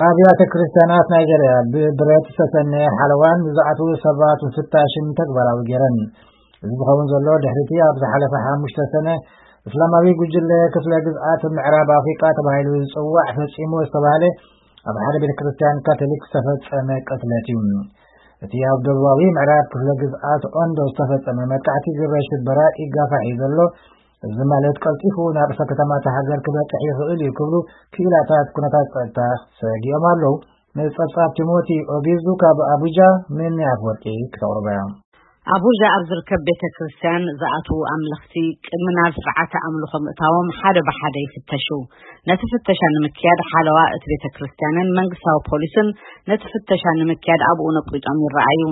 ኣብያተ ክርስቲያናት ናይጀርያ ብብረት ዝተሰነየ ሓለዋን ብዝኣትዉ ሰባት ፍታሽን ተግባራዊ ገይረን። እዚ ዝኸውን ዘሎ ድሕሪቲ ኣብ ዝሓለፈ ሓሙሽተ ሰነ እስላማዊ ጉጅለ ክፍለ ግዝኣት ምዕራብ ኣፍሪቃ ተባሂሉ ዝጽዋዕ ፈጺሙ ዝተባህለ ኣብ ሓደ ቤተ ክርስቲያን ካቶሊክ ዝተፈጸመ ቅትለት እዩ። እቲ ኣብ ደቡባዊ ምዕራብ ክፍለ ግዝኣት ኦንዶ ዝተፈጸመ መጥቃዕቲ ግብረ ሽበራ ይጋፋሕ እዩ ዘሎ። እዚ ማለት ቀልጢፉ ናብ ርእሰ ከተማ እታ ሃገር ክበጽሕ ይኽእል እዩ ክብሉ ክኢላታት ኩነታት ጸጥታ ሰጊኦም ኣለዉ። ንጸብጻብ ቲሞቲ ኦጊዙ ካብ ኣቡጃ፣ ምኒ ኣፍወርቂ ክተቕርቦ እያ። ኣቡጃ ኣብ ዝርከብ ቤተ ክርስቲያን ዝኣትዉ ኣምለኽቲ ቅድሚ ናብ ስርዓተ ኣምልኾ ምእታዎም ሓደ ብሓደ ይፍተሹ። ነቲ ፍተሻ ንምክያድ ሓለዋ እቲ ቤተ ክርስቲያንን መንግስታዊ ፖሊስን ነቲ ፍተሻ ንምክያድ ኣብኡ ነቂጦም ይረኣዩ።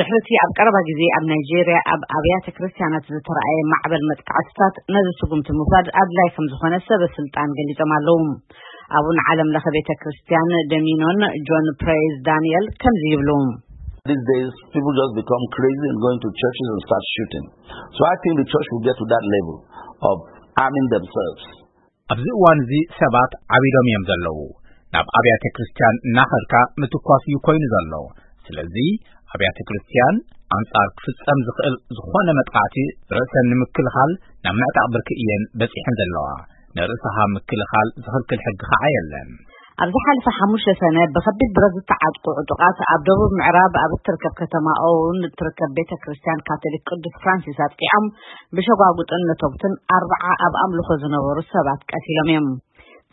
ድሕሪቲ ኣብ ቀረባ ግዜ ኣብ ናይጄርያ ኣብ ኣብያተ ክርስቲያናት ዝተረኣየ ማዕበል መጥቃዕትታት ነዚ ስጉምቲ ምውሳድ ኣድላይ ከም ዝኾነ ሰበ ስልጣን ገሊጾም ኣለዉ። ኣቡን ዓለም ለኸ ቤተ ክርስቲያን ደሚኖን ጆን ፕሬዝ ዳንኤል ከምዚ ይብሉ። These days, people just become crazy and going to churches and start shooting. So I think the church will get to that level of arming themselves. ኣብዚ እዋን እዚ ሰባት ዓቢዶም እዮም ዘለዉ። ናብ ኣብያተ ክርስቲያን እናኸድካ ምትኳስ እዩ ኮይኑ ዘሎ። ስለዚ ኣብያተ ክርስቲያን ኣንጻር ክፍጸም ዝኽእል ዝኾነ መጥቃዕቲ ርእሰን ንምክልኻል ናብ ምዕጣቕ ብርኪ እየን በጺሐን ዘለዋ። ንርእስኻ ምክልኻል ዝኽልክል ሕጊ ኸዓ የለን። ኣብ ዝሓለፈ ሓሙሽተ ሰነ ብኸቢድ ብረት ዝተዓጥቁ ዕጡቓት ኣብ ደቡብ ምዕራብ ኣብ እትርከብ ከተማ ኦውን እትርከብ ቤተ ክርስቲያን ካቶሊክ ቅዱስ ፍራንሲስ ኣጥቂዖም ብሸጓጉጥን ነቶግትን ኣርብዓ ኣብ ኣምልኾ ዝነበሩ ሰባት ቀቲሎም እዮም።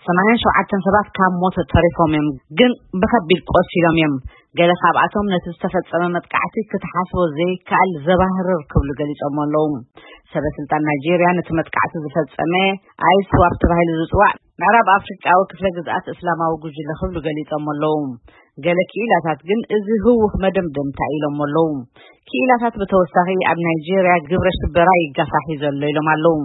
ሰማንያን ሸውዓተን ሰባት ካብ ሞት ተሪፎም እዮም፣ ግን ብኸቢድ ቆሲሎም እዮም። ገለ ካብኣቶም ነቲ ዝተፈጸመ መጥቃዕቲ ክትሓስቦ ዘይከኣል ዘባህርር ክብሉ ገሊጾም ኣለዉ። ሰበ ስልጣን ናይጄርያ ነቲ መጥቃዕቲ ዝፈጸመ ኣይስዋፕ ተባሂሉ ዝጽዋዕ ምዕራብ ኣፍሪቃዊ ክፍለ ግዝኣት እስላማዊ ጉጅለ ክብሉ ገሊጾም ኣለዉ። ገለ ክኢላታት ግን እዚ ህውኽ መደምደምታ ኢሎም ኣለዉ። ክኢላታት ብተወሳኺ ኣብ ናይጄርያ ግብረ ሽበራ ይጋፋሕ እዩ ዘሎ ኢሎም ኣለዉ።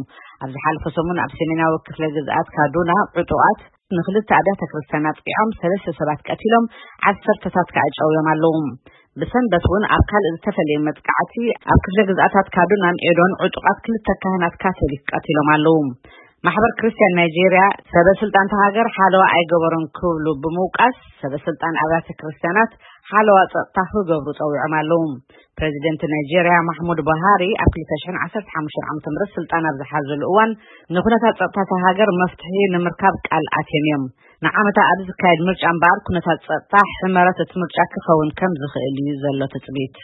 ኣብ ዝሓለፈ ሰሙን ኣብ ሰሜናዊ ክፍለ ግዝኣት ካዱና ዕጡቓት ንክልተ ኣብያተ ክርስቲያን ኣጥቂዖም ሰለስተ ሰባት ቀቲሎም ዓሰርተታት ከኣ ጨውዮም ኣለዉ። ብሰንበት እውን ኣብ ካልእ ዝተፈለየ መጥቃዕቲ ኣብ ክፍለ ግዝኣታት ካዱናን ኤዶን ዕጡቓት ክልተ ካህናት ካቶሊክ ቀቲሎም ኣለዉ። ማሕበር ክርስቲያን ናይጄርያ ሰበ ስልጣን እታ ሃገር ሓለዋ ኣይገበሩን ክብሉ ብምውቃስ ሰበ ስልጣን ኣብያተ ክርስቲያናት ሓለዋ ጸጥታ ክገብሩ ጸዊዖም ኣለዉ። ፕሬዚደንት ናይጄርያ ማሕሙድ ቡሃሪ ኣብ ክልተ ሽሕን ዓሰርተ ሓሙሽተን ዓመተ ምህረት ስልጣን ኣብ ዝሓዘሉ እዋን ንኩነታት ጸጥታ እታ ሃገር መፍትሒ ንምርካብ ቃል ኣትዮም እዮም። ንዓመታ ኣብ ዝካየድ ምርጫ እምበኣር ኩነታት ጸጥታ ሕመረት እቲ ምርጫ ክኸውን ከም ዝኽእል እዩ ዘሎ ትጽቢት።